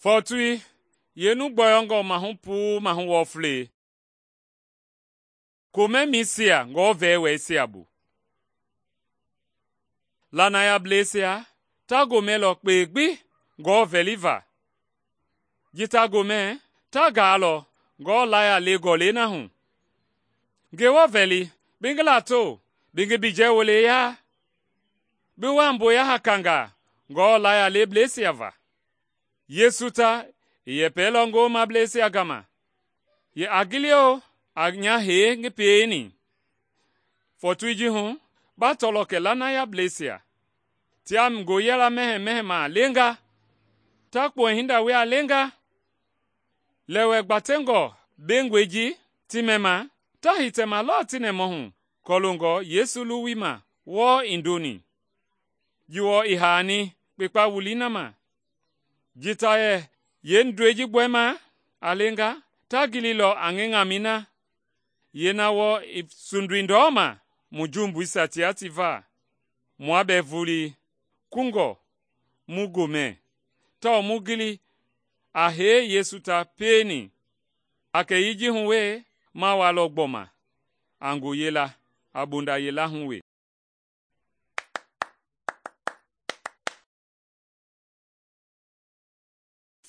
Fɔɔtoi, yeenu gbɔyɔngɔ mahu puu mahu wɔflei, komɛmɛisia ngɔɔ-vɛwɛisia bu. Lanayableisia ta gomɛlɔ kpei gbi ngɔɔ-vɛliva, ji ta gomɛ ta gaalɔ ngɔɔ laya le gɔlɛi na hu. Ngewɔ vɛli bi ngi lato, bi ngi bijɛ-wole ya, bi wa mboya hakangaa ngɔɔ laya lebleisia va. Yesu ta i yɛpɛlɔ ngoomableisia gama yɛ a gilio a nya hee ngi pieni. Fɔɔtoi ji hu ba tɔlɔ kɛ lanayableisia tia ngoyɛla mɛhɛmɛhɛmaa lenga, ta kpuɛ hinda wia lenga. Lɛwɛ gbatɛngɔ bengɔi ji ti mɛma, ta hitɛma lɔɔ ti nɛmahu kɔloongɔ Yesu luwui ma wɔɔ i ndoni. Ji wɔɔ i haani kpekpa wulii na ma. Ji ta yɛ yeendɔi ji gbɔɛma a lenga, ta gililɔ a ngi ŋamɛi na, yeena wɔɔ i sundui ndɔma mu jumbuisia tia ti va. Mua bɛɛ vulii kungɔ mu gomɛ tawao mu gili a hee Yesu ta pieni. A kɛyii ji hu we, ma walɔ gbɔma a ngoyei la a bonda yila hu we.